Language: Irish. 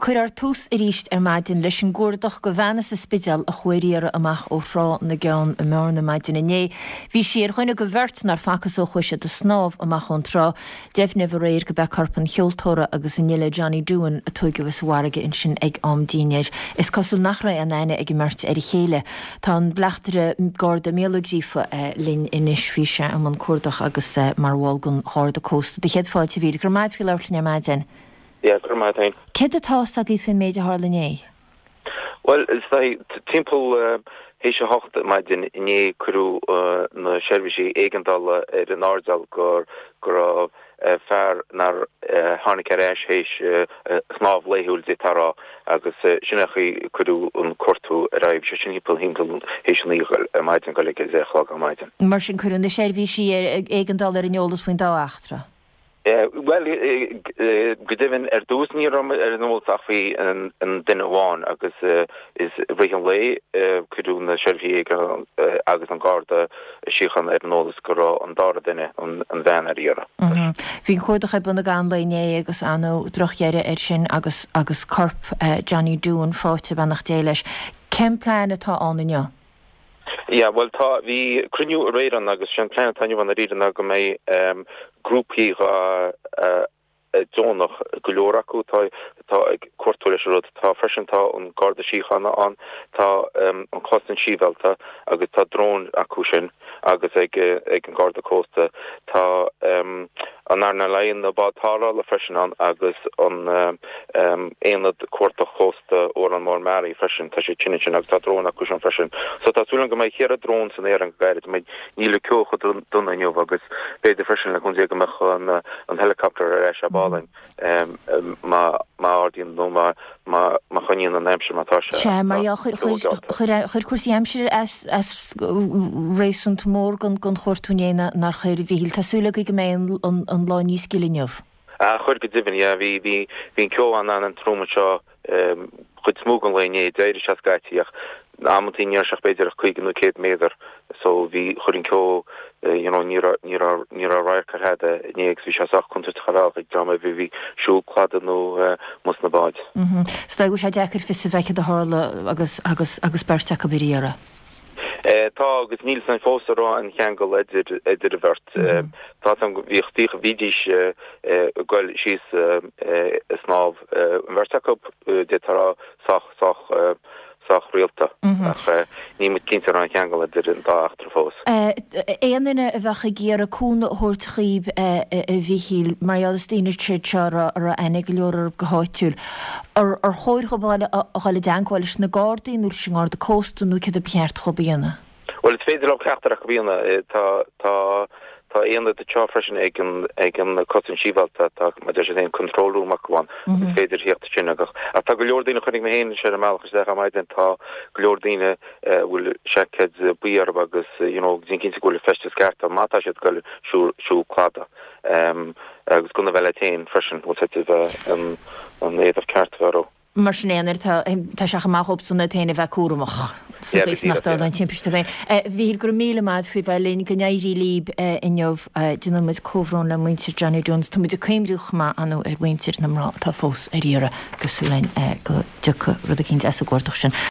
Cuirfear tús arís ar maidin leis an gcuardach do bhean as an Spidéal a chuaigh ar iarraidh amach ó Thrá na gCeann i mBearna maidin inné. Bhí sí ar dhuine de bheirt nár facthas ó chuaigh siad ag snámh amach ón trá. Deimhníodh aréir gurb é corp an cheoltóra agus an fhile Johnny Doohan a tóigeadh as an bhfarraige ansin ag am dinnéir. Is cosúil nach raibh aon aithne ag an mbeirt ar a chéile. Tá an Bleachtaire Garda Mícheál Ó Gríofa linn anois. Bhí sé i mbun cuardach agus mar bhall den Gharda Cósta. Do chéad fáilte a Mhíchíl. Go raibh maith agat faoi labhairt linn ar maidin. Yeah, go raibh maith agat féin. Céard atá fhios agaibh faoin méid a tharla inné? Bhuel, is dóigh, timpeall théis a hocht maidin inné cuireadh na seirbhísí éigeandála ar an airdeall go raibh fear nár tháinig ar ais théis a shnámh laethúil d'fhéadfá a rá agus sin é an chaoi a cuireadh an cuartú ar aghaidh. Bhí sé sin timpeall théis a naoi ar maidin, ag dul ag a deich a chlog ar maidin. Mar sin cuireadh na seirbhísí éigeandála ar an eolas faoin dá eachtra. Bhuel, go deimhin, ar dtús ní raibh ar an eolas ach faoi an duine amháin agus i rith an lae cuireadh na seirbhísí éigeandála agus an Garda Síochána ar an eolas go raibh an dara duine, an bhean, ar iarraidh. Bhí an cuardach ar bun ag an lae inné agus ar ndóigh drochdheireadh air sin agus agus corp Johnny Doohan faighte, beannacht Dé leis. Cén plean atá ann inniu? Yeah, bhuel tá, bhí cruinniú aréir ann agus sé an plean atá inniu ann dáiríre ná go mbeidh grúpaí deonach, go leor acu atá atá ag cuartú leis an rud. Tá freisin, tá an Garda Síochána ann, tá an Chosaint Shibhialta agus tá dróin acu sin agus ag ag an Garda Cósta. Tá an earnáil Laighean, na báid tarrthála freisin ann agus an Aonad Cuardach Cósta Órán Mór Meáraí freisin, tá siad sin ansin agus tá dróin acu sin freisin. So tá súil agam go mbeidh cheithre drón san aer go gairid, níl an ceo chomh dona inniu agus b'fhéidir freisin le cúnamh Dé go mbeadh an helicopter ar ais ab álainn má ardaíonn nó má má choinníonn an aimsir mar atá sé. Sea, mar gheall, chuir cúrsaí aimsire as réasúnta mór don chuartú inné nár chuir, a Mhíchíl. Tá súil agaibh go mbeidh an lá níos gile inniu. Ah, chuir go deimhin, yeah. Bhí, bhí, bhí an ceo an-an-trom anseo chuid is mó den lae inné. D'éirigh sé scaití ach amantaí ní raibh sé ach b'fhéidir ach 50 nó 100 méadar so bhí, chuir an ceo, you know, ní raibh, ní raibh, ní raibh radharc ar thada inné agus bhí sé sách contúirteach ar bhealach ag dream ar bith a bhí ag siúl cladaigh nó amuigh sna báid. Is dóigh go bhfuil sé deacair fios a bheith céard a tharla agus, agus, agus beirt acu ar iarraidh. Tá agus níl 'fhios againn fós an raibh aon cheangal idir, idir an bheirt. Tá 'fhios agam go bhíodh, bhíodh, bhídís ag goil síos ag snámh an bheirt acu, d'fhéadfá a rá sách, sách, sách rialta ach níl muid cinnte an raibh aon cheangal idir an dá eachtra fós. Aon duine a bheadh ag iarraidh cúnamh a thabhairt dhaoib, a Mhíchíl, mar gheall is daoine iad seo a raibh aithne ag go leor orthu go háitiúil, ar chóir dhóibh a dhul i dteagmháil leis na Gardaí nó leis an nGarda Cósta nó céard a ba cheart dhóibh a dhéanamh? Bhuel, is féidir leo ceachtar acu a dhéanamh. Tá, tá, tá aonad anseo freisin ag an, ag an Cosaint Shibhialta, tá, mar a deir siad féin, control room acu ann, agus is féidir theacht ansin agus, ach tá go leor daoine, chonaic mé féin ar an mbealach isteach ar maidin, tá go leor daoine a bhfuil seaicéid buí orthu agus, you know, déan cinnte go bhfuil an feisteas ceart orthu má tá siad ag goil siúl, siúl cladaigh. Agus gunna a bheith leat féin freisin, bhfuil 's agat, bheith an, an éadach ceart a bheith orthu. Mar sin aon uair, tá sé chomh maith dhóibhsan iad féin a bheith cúramach sa gcaoi is nach dtarlóidh aon timpiste dóibh féin. A Mhíchíl, go raibh míle maith agat faoi bheith linn. Go n-éirí libh inniu. Déanann muid comhbhrón le muintir Johnny Doohan. Tá muid ag cuimhniú chomh maith, ar ndóigh, ar mhuintir na mná atá fós ar iarraidh. Agus súil againn go dtiocfaidh rud eicínt as an gcuardach sin.